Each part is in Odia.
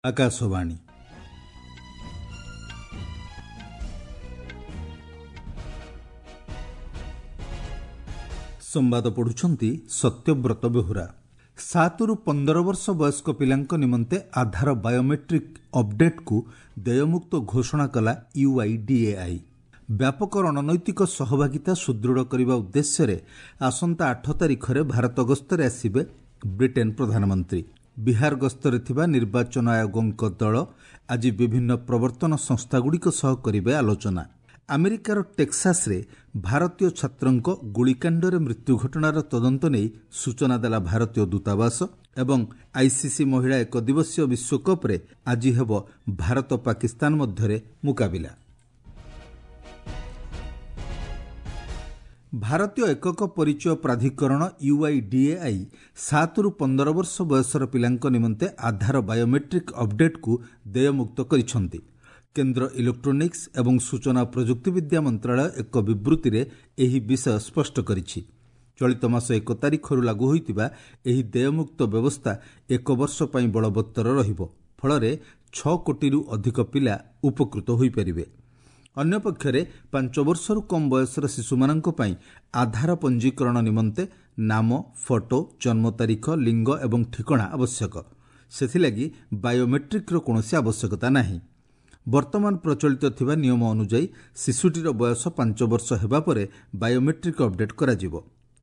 ଆକାଶବାଣୀ। ସମ୍ବାଦ ପଢ଼ୁଛନ୍ତି ସତ୍ୟବ୍ରତ ବେହୁରା। 7ରୁ 15 ବର୍ଷ ବୟସ୍କ ପିଲାଙ୍କ ନିମନ୍ତେ ଆଧାର ବାୟୋମେଟ୍ରିକ୍ ଅପଡେଟ୍କୁ ଦେୟମୁକ୍ତ ଘୋଷଣା କଲା ୟୁଆଇଡିଏଆଇ। ବ୍ୟାପକ ରଣନୈତିକ ସହଭାଗିତା ସୁଦୃଢ଼ କରିବା ଉଦ୍ଦେଶ୍ୟରେ ଆସନ୍ତା 8 ତାରିଖରେ ଭାରତ ଗସ୍ତରେ ଆସିବେ ବ୍ରିଟେନ୍ ପ୍ରଧାନମନ୍ତ୍ରୀ। ବିହାର ଗସ୍ତରେ ଥିବା ନିର୍ବାଚନ ଆୟୋଗଙ୍କ ଦଳ ଆଜି ବିଭିନ୍ନ ପ୍ରବର୍ତ୍ତନ ସଂସ୍ଥାଗୁଡ଼ିକ ସହ କରିବେ ଆଲୋଚନା। ଆମେରିକାର ଟେକ୍ସାସରେ ଭାରତୀୟ ଛାତ୍ରଙ୍କ ଗୁଳିକାଣ୍ଡରେ ମୃତ୍ୟୁ ଘଟଣାର ତଦନ୍ତ ନେଇ ସୂଚନା ଦେଲା ଭାରତୀୟ ଦୂତାବାସ। ଏବଂ ଆଇସିସି ମହିଳା ଏକଦିବସୀୟ ବିଶ୍ୱକପ୍ରେ ଆଜି ହେବ ଭାରତ ପାକିସ୍ତାନ ମଧ୍ୟରେ ମୁକାବିଲା। ଭାରତୀୟ ଏକକ ପରିଚୟ ପ୍ରାଧିକରଣ ୟୁଆଇଡିଏଆଇ 7ରୁ 15 ବର୍ଷ ବୟସର ପିଲାଙ୍କ ନିମନ୍ତେ ଆଧାର ବାୟୋମେଟ୍ରିକ୍ ଅପଡେଟ୍କୁ ଦେୟମୁକ୍ତ କରିଛନ୍ତି। କେନ୍ଦ୍ର ଇଲେକ୍ଟ୍ରୋନିକ୍ସ ଏବଂ ସୂଚନା ପ୍ରଯୁକ୍ତିବିଦ୍ୟା ମନ୍ତ୍ରଣାଳୟ ଏକ ବିବୃତ୍ତିରେ ଏହି ବିଷୟ ସ୍ପଷ୍ଟ କରିଛି। ଚଳିତ ମାସ 1 ତାରିଖରୁ ଲାଗୁ ହୋଇଥିବା ଏହି ଦେୟମୁକ୍ତ ବ୍ୟବସ୍ଥା ଏକ ବର୍ଷ ପାଇଁ ବଳବତ୍ତର ରହିବ। ଫଳରେ 6 କୋଟିରୁ ଅଧିକ ପିଲା ଉପକୃତ ହୋଇପାରିବେ। ଅନ୍ୟପକ୍ଷରେ 5 ବର୍ଷରୁ କମ୍ ବୟସର ଶିଶୁମାନଙ୍କ ପାଇଁ ଆଧାର ପଞ୍ଜୀକରଣ ନିମନ୍ତେ ନାମ, ଫଟୋ, ଜନ୍ମ ତାରିଖ, ଲିଙ୍ଗ ଏବଂ ଠିକଣା ଆବଶ୍ୟକ। ସେଥିଲାଗି ବାୟୋମେଟ୍ରିକ୍ର କୌଣସି ଆବଶ୍ୟକତା ନାହିଁ। ବର୍ତ୍ତମାନ ପ୍ରଚଳିତ ଥିବା ନିୟମ ଅନୁଯାୟୀ ଶିଶୁଟିର ବୟସ 5 ବର୍ଷ ହେବା ପରେ ବାୟୋମେଟ୍ରିକ୍ ଅପଡେଟ୍ କରାଯିବ।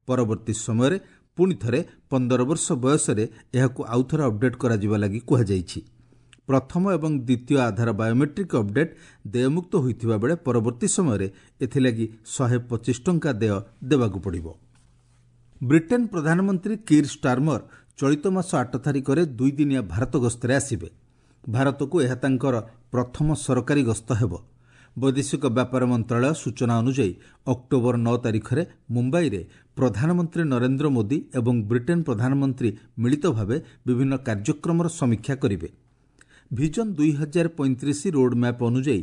ପରବର୍ତ୍ତୀ ସମୟରେ ପୁଣି ଥରେ 15 ବର୍ଷ ବୟସରେ ଏହାକୁ ଆଉଥରେ ଅପଡେଟ୍ କରାଯିବା ଲାଗି କୁହାଯାଇଛି। ପ୍ରଥମ ଏବଂ ଦ୍ୱିତୀୟ ଆଧାର ବାୟୋମେଟ୍ରିକ୍ ଅପଡେଟ୍ ଦେୟମୁକ୍ତ ହୋଇଥିବା ବେଳେ ପରବର୍ତ୍ତୀ ସମୟରେ ଏଥିଲାଗି 125 ଟଙ୍କା ଦେୟ ଦେବାକୁ ପଡ଼ିବ। ବ୍ରିଟେନ୍ ପ୍ରଧାନମନ୍ତ୍ରୀ କିର୍ ଷ୍ଟାର୍ମର ଚଳିତ ମାସ 8 ତାରିଖରେ ଦୁଇଦିନିଆ ଭାରତ ଗସ୍ତରେ ଆସିବେ। ଭାରତକୁ ଏହା ତାଙ୍କର ପ୍ରଥମ ସରକାରୀ ଗସ୍ତ ହେବ। ବୈଦେଶିକ ବ୍ୟାପାର ମନ୍ତ୍ରଣାଳୟ ସୂଚନା ଅନୁଯାୟୀ ଅକ୍ଟୋବର 9 ତାରିଖରେ ମୁମ୍ବାଇରେ ପ୍ରଧାନମନ୍ତ୍ରୀ ନରେନ୍ଦ୍ର ମୋଦି ଏବଂ ବ୍ରିଟେନ୍ ପ୍ରଧାନମନ୍ତ୍ରୀ ମିଳିତ ଭାବେ ବିଭିନ୍ନ କାର୍ଯ୍ୟକ୍ରମର ସମୀକ୍ଷା କରିବେ। ଭିଜନ 2035 ରୋଡ୍ମ୍ୟାପ୍ ଅନୁଯାୟୀ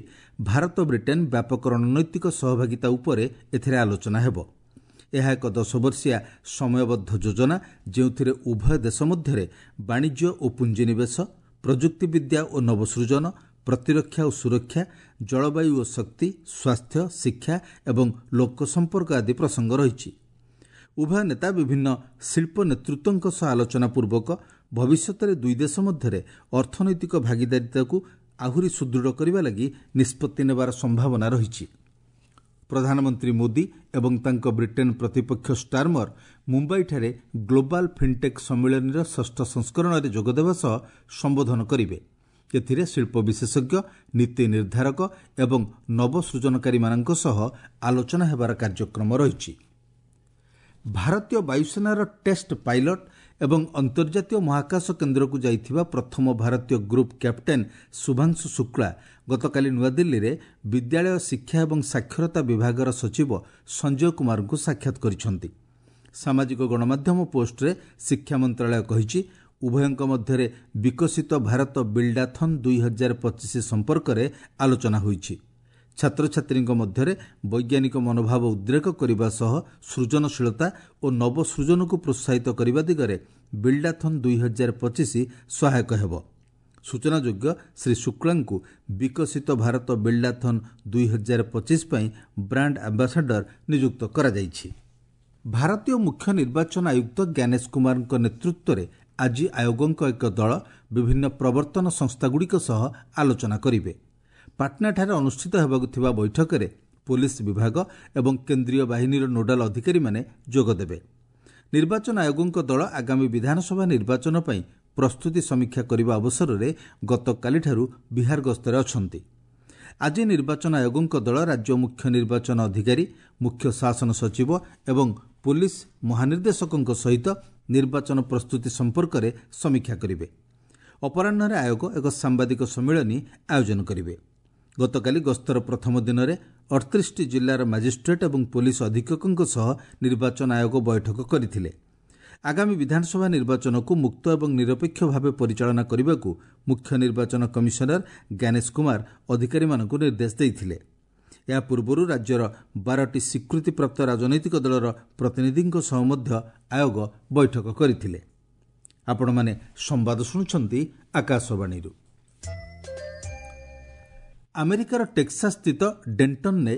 ଭାରତ ବ୍ରିଟେନ୍ ବ୍ୟାପକ ରଣନୈତିକ ସହଭାଗିତା ଉପରେ ଏଥିରେ ଆଲୋଚନା ହେବ। ଏହା ଏକ 10 ବର୍ଷିଆ ସମୟବଦ୍ଧ ଯୋଜନା, ଯେଉଁଥିରେ ଉଭୟ ଦେଶ ମଧ୍ୟରେ ବାଣିଜ୍ୟ ଓ ପୁଞ୍ଜିନିବେଶ, ପ୍ରଯୁକ୍ତିବିଦ୍ୟା ଓ ନବସୃଜନ, ପ୍ରତିରକ୍ଷା ଓ ସୁରକ୍ଷା, ଜଳବାୟୁ ଓ ଶକ୍ତି, ସ୍ୱାସ୍ଥ୍ୟ, ଶିକ୍ଷା ଏବଂ ଲୋକସମ୍ପର୍କ ଆଦି ପ୍ରସଙ୍ଗ ରହିଛି। ଉଭୟ ନେତା ବିଭିନ୍ନ ଶିଳ୍ପ ନେତୃତ୍ୱଙ୍କ ସହ ଆଲୋଚନା ପୂର୍ବକ ଭବିଷ୍ୟତରେ ଦୁଇ ଦେଶ ମଧ୍ୟରେ ଅର୍ଥନୈତିକ ଭାଗିଦାରିତାକୁ ଆହୁରି ସୁଦୃଢ଼ କରିବା ଲାଗି ନିଷ୍ପତ୍ତି ନେବାର ସମ୍ଭାବନା ରହିଛି। ପ୍ରଧାନମନ୍ତ୍ରୀ ମୋଦି ଏବଂ ତାଙ୍କ ବ୍ରିଟେନ୍ ପ୍ରତିପକ୍ଷ ଷ୍ଟାର୍ମର ମୁମ୍ବାଇଠାରେ ଗ୍ଲୋବାଲ୍ ଫିନ୍ଟେକ୍ ସମ୍ମିଳନୀର 6ଷ୍ଠ ସଂସ୍କରଣରେ ଯୋଗଦେବା ସହ ସମ୍ବୋଧନ କରିବେ। ଏଥିରେ ଶିଳ୍ପ ବିଶେଷଜ୍ଞ, ନୀତି ନିର୍ଦ୍ଧାରକ ଏବଂ ନବସୃଜନକାରୀମାନଙ୍କ ସହ ଆଲୋଚନା ହେବାର କାର୍ଯ୍ୟକ୍ରମ ରହିଛି। ଭାରତୀୟ ବାୟୁସେନାର ଟେଷ୍ଟ ପାଇଲଟ୍ ଏବଂ ଅନ୍ତର୍ଜାତୀୟ ମହାକାଶ କେନ୍ଦ୍ରକୁ ଯାଇଥିବା ପ୍ରଥମ ଭାରତୀୟ ଗ୍ରୁପ୍ କ୍ୟାପ୍ଟେନ୍ ଶୁଭାଂଶୁ ଶୁକ୍ଳା ଗତକାଲି ନୂଆଦିଲ୍ଲୀରେ ବିଦ୍ୟାଳୟ ଶିକ୍ଷା ଏବଂ ସାକ୍ଷରତା ବିଭାଗର ସଚିବ ସଞ୍ଜୟ କୁମାରଙ୍କୁ ସାକ୍ଷାତ କରିଛନ୍ତି। ସାମାଜିକ ଗଣମାଧ୍ୟମ ପୋଷ୍ଟରେ ଶିକ୍ଷା ମନ୍ତ୍ରଣାଳୟ କହିଛି, ଉଭୟଙ୍କ ମଧ୍ୟରେ ବିକଶିତ ଭାରତ ବିଲ୍ଡାଥନ୍ 2025 ସମ୍ପର୍କରେ ଆଲୋଚନା ହୋଇଛି। ଛାତ୍ରଛାତ୍ରୀଙ୍କ ମଧ୍ୟରେ ବୈଜ୍ଞାନିକ ମନୋଭାବ ଉଦ୍ରେକ କରିବା ସହ ସୃଜନଶୀଳତା ଓ ନବସୃଜନକୁ ପ୍ରୋତ୍ସାହିତ କରିବା ଦିଗରେ ବିଲ୍ଡାଥନ୍ 2025 ସହାୟକ ହେବ। ସୂଚନାଯୋଗ୍ୟ, ଶ୍ରୀ ଶୁକ୍ଳାଙ୍କୁ ବିକଶିତ ଭାରତ ବିଲ୍ଡାଥନ୍ 2025 ପାଇଁ ବ୍ରାଣ୍ଡ ଆମ୍ବାସାଡର ନିଯୁକ୍ତ କରାଯାଇଛି। ଭାରତୀୟ ମୁଖ୍ୟ ନିର୍ବାଚନ ଆୟୁକ୍ତ ଜ୍ଞାନେଶ କୁମାରଙ୍କ ନେତୃତ୍ୱରେ ଆଜି ଆୟୋଗଙ୍କ ଏକ ଦଳ ବିଭିନ୍ନ ପ୍ରବର୍ତ୍ତନ ସଂସ୍ଥାଗୁଡ଼ିକ ସହ ଆଲୋଚନା କରିବେ। ପାଟନାଠାରେ ଅନୁଷ୍ଠିତ ହେବାକୁ ଥିବା ବୈଠକରେ ପୋଲିସ ବିଭାଗ ଏବଂ କେନ୍ଦ୍ରୀୟ ବାହିନୀର ନୋଡାଲ ଅଧିକାରୀମାନେ ଯୋଗଦେବେ। ନିର୍ବାଚନ ଆୟୋଗଙ୍କ ଦଳ ଆଗାମୀ ବିଧାନସଭା ନିର୍ବାଚନ ପାଇଁ ପ୍ରସ୍ତୁତି ସମୀକ୍ଷା କରିବା ଅବସରରେ ଗତକାଲିଠାରୁ ବିହାର ଗସ୍ତରେ ଅଛନ୍ତି। ଆଜି ନିର୍ବାଚନ ଆୟୋଗଙ୍କ ଦଳ ରାଜ୍ୟ ମୁଖ୍ୟ ନିର୍ବାଚନ ଅଧିକାରୀ, ମୁଖ୍ୟ ଶାସନ ସଚିବ ଏବଂ ପୋଲିସ ମହାନିର୍ଦ୍ଦେଶକଙ୍କ ସହିତ ନିର୍ବାଚନ ପ୍ରସ୍ତୁତି ସମ୍ପର୍କରେ ସମୀକ୍ଷା କରିବେ। ଅପରାହ୍ନରେ ଆୟୋଗ ଏକ ସାମ୍ବାଦିକ ସମ୍ମିଳନୀ ଆୟୋଜନ କରିବେ। ଗତକାଲି ଗସ୍ତର ପ୍ରଥମ ଦିନରେ 38ଟି ଜିଲ୍ଲାର ମାଜିଷ୍ଟ୍ରେଟ୍ ଏବଂ ପୋଲିସ ଅଧୀକ୍ଷକଙ୍କ ସହ ନିର୍ବାଚନ ଆୟୋଗ ବୈଠକ କରିଥିଲେ। ଆଗାମୀ ବିଧାନସଭା ନିର୍ବାଚନକୁ ମୁକ୍ତ ଏବଂ ନିରପେକ୍ଷ ଭାବେ ପରିଚାଳନା କରିବାକୁ ମୁଖ୍ୟ ନିର୍ବାଚନ କମିଶନର ଜ୍ଞାନେଶ କୁମାର ଅଧିକାରୀମାନଙ୍କୁ ନିର୍ଦ୍ଦେଶ ଦେଇଥିଲେ। ଏହା ପୂର୍ବରୁ ରାଜ୍ୟର 12ଟି ସ୍ୱୀକୃତିପ୍ରାପ୍ତ ରାଜନୈତିକ ଦଳର ପ୍ରତିନିଧିଙ୍କ ସହ ମଧ୍ୟ ଆୟୋଗ ବୈଠକ କରିଥିଲେ। ଆପଣମାନେ ସମ୍ବାଦ ଶୁଣୁଛନ୍ତି ଆକାଶବାଣୀରୁ। ଆମେରିକାର ଟେକ୍ସାସ୍ଥିତ ଡେଣ୍ଟନ୍ରେ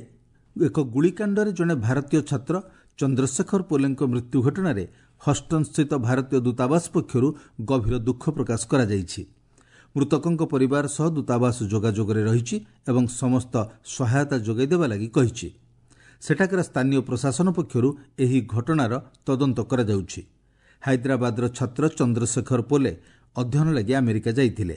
ଏକ ଗୁଳିକାଣ୍ଡରେ ଜଣେ ଭାରତୀୟ ଛାତ୍ର ଚନ୍ଦ୍ରଶେଖର ପୋଲେଙ୍କ ମୃତ୍ୟୁ ଘଟଣାରେ ହଷ୍ଟନ୍ସ୍ଥିତ ଭାରତୀୟ ଦୂତାବାସ ପକ୍ଷରୁ ଗଭୀର ଦୁଃଖ ପ୍ରକାଶ କରାଯାଇଛି। ମୃତକଙ୍କ ପରିବାର ସହ ଦୂତାବାସ ଯୋଗାଯୋଗରେ ରହିଛି ଏବଂ ସମସ୍ତ ସହାୟତା ଯୋଗାଇ ଦେବା ଲାଗି କହିଛି। ସେଠାକାର ସ୍ଥାନୀୟ ପ୍ରଶାସନ ପକ୍ଷରୁ ଏହି ଘଟଣାର ତଦନ୍ତ କରାଯାଉଛି। ହାଇଦ୍ରାବାଦର ଛାତ୍ର ଚନ୍ଦ୍ରଶେଖର ପୋଲେ ଅଧ୍ୟୟନ ଲାଗି ଆମେରିକା ଯାଇଥିଲେ।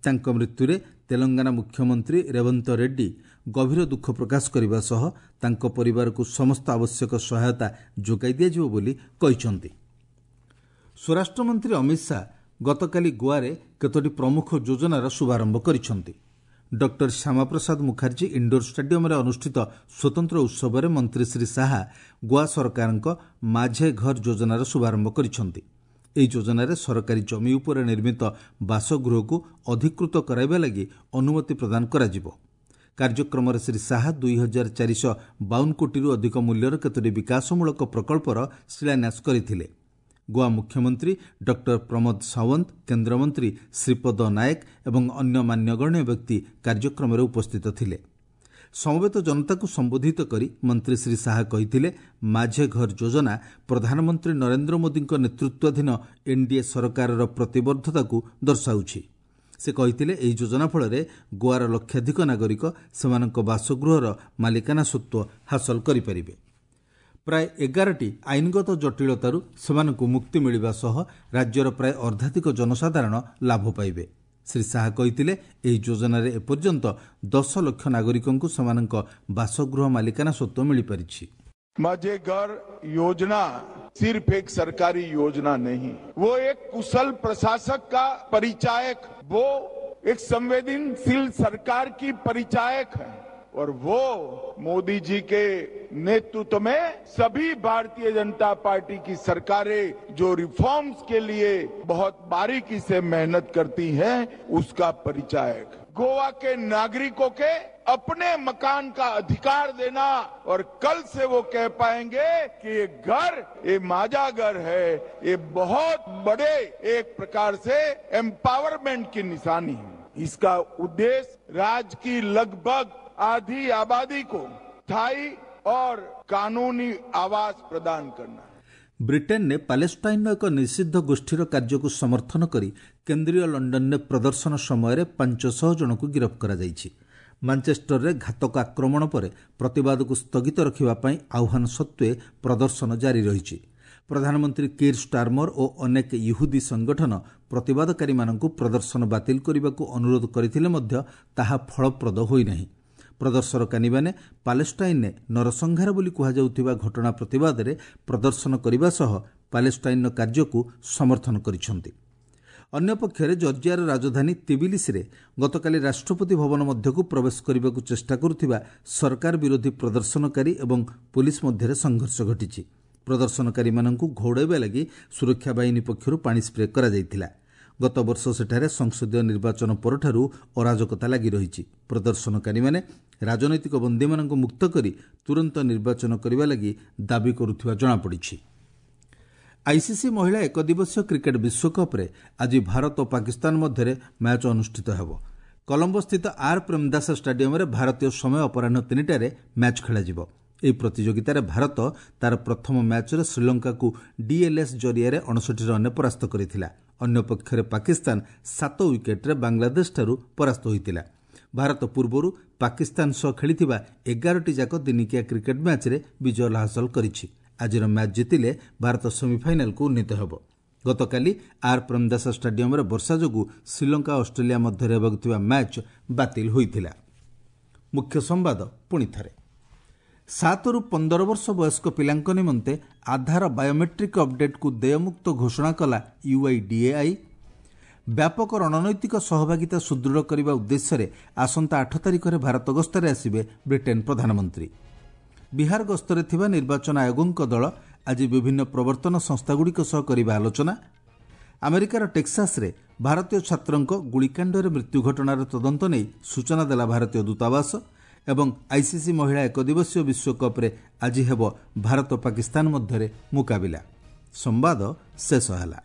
ତାଙ୍କ ମୃତ୍ୟୁରେ ତେଲଙ୍ଗାନା ମୁଖ୍ୟମନ୍ତ୍ରୀ ରେବନ୍ତ ରେଡ୍ଡି ଗଭୀର ଦୁଃଖ ପ୍ରକାଶ କରିବା ସହ ତାଙ୍କ ପରିବାରକୁ ସମସ୍ତ ଆବଶ୍ୟକ ସହାୟତା ଯୋଗାଇ ଦିଆଯିବ ବୋଲି କହିଛନ୍ତି। ସ୍ୱରାଷ୍ଟ୍ରମନ୍ତ୍ରୀ ଅମିତ ଶାହା ଗତକାଲି ଗୋଆରେ କେତୋଟି ପ୍ରମୁଖ ଯୋଜନାର ଶୁଭାରମ୍ଭ କରିଛନ୍ତି। ଡକ୍ଟର ଶ୍ୟାମାପ୍ରସାଦ ମୁଖାର୍ଜୀ ଇଣ୍ଡୋର ଷ୍ଟାଡିୟମରେ ଅନୁଷ୍ଠିତ ସ୍ୱତନ୍ତ୍ର ଉତ୍ସବରେ ମନ୍ତ୍ରୀ ଶ୍ରୀ ଶାହା ଗୋଆ ସରକାରଙ୍କ ମାଝେ ଘର ଯୋଜନାର ଶୁଭାରମ୍ଭ କରିଛନ୍ତି। ଏହି ଯୋଜନାରେ ସରକାରୀ ଜମି ଉପରେ ନିର୍ମିତ ବାସଗୃହକୁ ଅଧିକୃତ କରାଇବା ଲାଗି ଅନୁମତି ପ୍ରଦାନ କରାଯିବ। କାର୍ଯ୍ୟକ୍ରମରେ ଶ୍ରୀ ଶାହା 2452 କୋଟିରୁ ଅଧିକ ମୂଲ୍ୟର କେତୋଟି ବିକାଶମୂଳକ ପ୍ରକଳ୍ପର ଶିଳାନ୍ୟାସ କରିଥିଲେ। ଗୋଆ ମୁଖ୍ୟମନ୍ତ୍ରୀ ଡକ୍ଟର ପ୍ରମୋଦ ସାୱନ୍ତ, କେନ୍ଦ୍ରମନ୍ତ୍ରୀ ଶ୍ରୀପଦ ନାୟକ ଏବଂ ଅନ୍ୟ ମାନ୍ୟଗଣ୍ୟ ବ୍ୟକ୍ତି କାର୍ଯ୍ୟକ୍ରମରେ ଉପସ୍ଥିତ ଥିଲେ। ସମବେତ ଜନତାକୁ ସମ୍ବୋଧିତ କରି ମନ୍ତ୍ରୀ ଶ୍ରୀ ଶାହା କହିଥିଲେ, ମାଝେ ଘର ଯୋଜନା ପ୍ରଧାନମନ୍ତ୍ରୀ ନରେନ୍ଦ୍ର ମୋଦିଙ୍କ ନେତୃତ୍ୱାଧୀନ ଏନ୍ଡିଏ ସରକାରର ପ୍ରତିବଦ୍ଧତାକୁ ଦର୍ଶାଉଛି। ସେ କହିଥିଲେ, ଏହି ଯୋଜନା ଫଳରେ ଗୋଆର ଲକ୍ଷାଧିକ ନାଗରିକ ସେମାନଙ୍କ ବାସଗୃହର ମାଲିକାନା ସତ୍ତ୍ୱ ହାସଲ କରିପାରିବେ। ପ୍ରାୟ 11ଟି ଆଇନଗତ ଜଟିଳତାରୁ ସେମାନଙ୍କୁ ମୁକ୍ତି ମିଳିବା ସହ ରାଜ୍ୟର ପ୍ରାୟ ଅର୍ଦ୍ଧାଧିକ ଜନସାଧାରଣ ଲାଭ ପାଇବେ। ଶ୍ରୀ ଶାହା କହିଥିଲେ, ଏହି ଯୋଜନାରେ ଏପର୍ଯ୍ୟନ୍ତ 10 ଲକ୍ଷ ନାଗରିକଙ୍କୁ ସେମାନଙ୍କ ବାସଗୃହ ମାଲିକାନା ସତ୍ତ୍ୱ ମିଳିପାରିଛି। माझे घर योजना सिर्फ एक सरकारी योजना नहीं, वो एक कुशल प्रशासक का परिचायक, वो एक संवेदनशील सरकार की परिचायक है और वो मोदी जी के नेतृत्व में सभी भारतीय जनता पार्टी की सरकारें जो रिफॉर्म्स के लिए बहुत बारीकी से मेहनत करती हैं, उसका परिचायक। गोवा के नागरिकों के अपने मकान का अधिकार देना और कल से वो कह पाएंगे कि ये घर, ये माझा घर है, ये बहुत बड़े एक प्रकार से एम्पावरमेंट की निशानी है। इसका उद्देश्य राज्य की लगभग आधी आबादी को स्थायी और कानूनी आवास प्रदान करना। ବ୍ରିଟେନରେ ପାଲେଷ୍ଟାଇନ୍ର ଏକ ନିଷିଦ୍ଧ ଗୋଷ୍ଠୀର କାର୍ଯ୍ୟକୁ ସମର୍ଥନ କରି କେନ୍ଦ୍ରୀୟ ଲଣ୍ଡନରେ ପ୍ରଦର୍ଶନ ସମୟରେ 500 ଜଣଙ୍କୁ ଗିରଫ କରାଯାଇଛି। ମାଞ୍ଚେଷ୍ଟରରେ ଘାତକ ଆକ୍ରମଣ ପରେ ପ୍ରତିବାଦକୁ ସ୍ଥଗିତ ରଖିବା ପାଇଁ ଆହ୍ୱାନ ସତ୍ତ୍ୱେ ପ୍ରଦର୍ଶନ ଜାରି ରହିଛି। ପ୍ରଧାନମନ୍ତ୍ରୀ କିର୍ ଷ୍ଟାର୍ମର ଓ ଅନେକ ଇହୁଦୀ ସଂଗଠନ ପ୍ରତିବାଦକାରୀମାନଙ୍କୁ ପ୍ରଦର୍ଶନ ବାତିଲ କରିବାକୁ ଅନୁରୋଧ କରିଥିଲେ ମଧ୍ୟ ତାହା ଫଳପ୍ରଦ ହୋଇନାହିଁ। ପ୍ରଦର୍ଶନକାରୀମାନେ ପାଲେଷ୍ଟାଇନ୍ରେ ନରସଂହାର ବୋଲି କୁହାଯାଉଥିବା ଘଟଣା ପ୍ରତିବାଦରେ ପ୍ରଦର୍ଶନ କରିବା ସହ ପାଲେଷ୍ଟାଇନ୍ର କାର୍ଯ୍ୟକୁ ସମର୍ଥନ କରିଛନ୍ତି। ଅନ୍ୟପକ୍ଷରେ ଜର୍ଜିଆର ରାଜଧାନୀ ତିବିଲିସିରେ ଗତକାଲି ରାଷ୍ଟ୍ରପତି ଭବନ ମଧ୍ୟକୁ ପ୍ରବେଶ କରିବାକୁ ଚେଷ୍ଟା କରୁଥିବା ସରକାର ବିରୋଧୀ ପ୍ରଦର୍ଶନକାରୀ ଏବଂ ପୋଲିସ ମଧ୍ୟରେ ସଂଘର୍ଷ ଘଟିଛି। ପ୍ରଦର୍ଶନକାରୀମାନଙ୍କୁ ଘଉଡ଼ାଇବା ଲାଗି ସୁରକ୍ଷା ବାହିନୀ ପକ୍ଷରୁ ପାଣି ସ୍ପ୍ରେ କରାଯାଇଥିଲା। ଗତବର୍ଷ ସେଠାରେ ସଂସଦୀୟ ନିର୍ବାଚନ ପରଠାରୁ ଅରାଜକତା ଲାଗି ରହିଛି। ପ୍ରଦର୍ଶନକାରୀମାନେ ରାଜନୈତିକ ବନ୍ଦୀମାନଙ୍କୁ ମୁକ୍ତ କରି ତୁରନ୍ତ ନିର୍ବାଚନ କରିବା ଲାଗି ଦାବି କରୁଥିବା ଜଣାପଡ଼ିଛି। ଆଇସିସି ମହିଳା ଏକଦିବସୀୟ କ୍ରିକେଟ୍ ବିଶ୍ୱକପ୍ରେ ଆଜି ଭାରତ ଓ ପାକିସ୍ତାନ ମଧ୍ୟରେ ମ୍ୟାଚ୍ ଅନୁଷ୍ଠିତ ହେବ। କଲମ୍ବୋସ୍ଥିତ ଆର୍ ପ୍ରେମଦାସ ଷ୍ଟାଡିୟମରେ ଭାରତୀୟ ସମୟ ଅପରାହ୍ନ 3ଟାରେ ମ୍ୟାଚ୍ ଖେଳାଯିବ। ଏହି ପ୍ରତିଯୋଗିତାରେ ଭାରତ ତା'ର ପ୍ରଥମ ମ୍ୟାଚ୍ରେ ଶ୍ରୀଲଙ୍କାକୁ ଡିଏଲ୍ଏସ୍ ଜରିଆରେ 59 ରନ୍ରେ ପରାସ୍ତ କରିଥିଲା। ଅନ୍ୟପକ୍ଷରେ ପାକିସ୍ତାନ 7 ୱିକେଟ୍ରେ ବାଂଲାଦେଶଠାରୁ ପରାସ୍ତ ହୋଇଥିଲା। ଭାରତ ପୂର୍ବରୁ ପାକିସ୍ତାନ ସହ ଖେଳିଥିବା 11ଟି ଯାକ ଦିନିକିଆ କ୍ରିକେଟ୍ ମ୍ୟାଚ୍ରେ ବିଜୟ ହାସଲ କରିଛି। ଆଜିର ମ୍ୟାଚ୍ ଜିତିଲେ ଭାରତ ସେମିଫାଇନାଲକୁ ଉନ୍ନୀତ ହେବ। ଗତକାଲି ଆର୍ ପ୍ରେମଦାସ ଷ୍ଟାଡିୟମରେ ବର୍ଷା ଯୋଗୁଁ ଶ୍ରୀଲଙ୍କା ଅଷ୍ଟ୍ରେଲିଆ ମଧ୍ୟରେ ହେବାକୁ ଥିବା ମ୍ୟାଚ୍ ବାତିଲ ହୋଇଥିଲା। ମୁଖ୍ୟ ସମ୍ବାଦ ପୁଣି ଥରେ। 7ରୁ 15 ବର୍ଷ ବୟସ୍କ ପିଲାଙ୍କ ନିମନ୍ତେ ଆଧାର ବାୟୋମେଟ୍ରିକ୍ ଅପଡେଟ୍କୁ ଦେୟମୁକ୍ତ ଘୋଷଣା କଲା ୟୁଆଇଡିଏଆଇ। ବ୍ୟାପକ ରଣନୈତିକ ସହଭାଗିତା ସୁଦୃଢ଼ କରିବା ଉଦ୍ଦେଶ୍ୟରେ ଆସନ୍ତା 8 ତାରିଖରେ ଭାରତ ଗସ୍ତରେ ଆସିବେ ବ୍ରିଟେନ୍ ପ୍ରଧାନମନ୍ତ୍ରୀ। ବିହାର ଗସ୍ତରେ ଥିବା ନିର୍ବାଚନ ଆୟୋଗଙ୍କ ଦଳ ଆଜି ବିଭିନ୍ନ ପ୍ରବର୍ତ୍ତନ ସଂସ୍ଥାଗୁଡ଼ିକ ସହ କରିବେ ଆଲୋଚନା। ଆମେରିକାର ଟେକ୍ସାସରେ ଭାରତୀୟ ଛାତ୍ରଙ୍କ ଗୁଳିକାଣ୍ଡରେ ମୃତ୍ୟୁ ଘଟଣାର ତଦନ୍ତ ନେଇ ସୂଚନା ଦେଲା ଭାରତୀୟ ଦୂତାବାସ। ଏବଂ ଆଇସିସି ମହିଳା ଏକଦିବସୀୟ ବିଶ୍ୱକପ୍ରେ ଆଜି ହେବ ଭାରତ ପାକିସ୍ତାନ ମଧ୍ୟରେ ମୁକାବିଲା। ସମ୍ବାଦ ଶେଷ ହେଲା।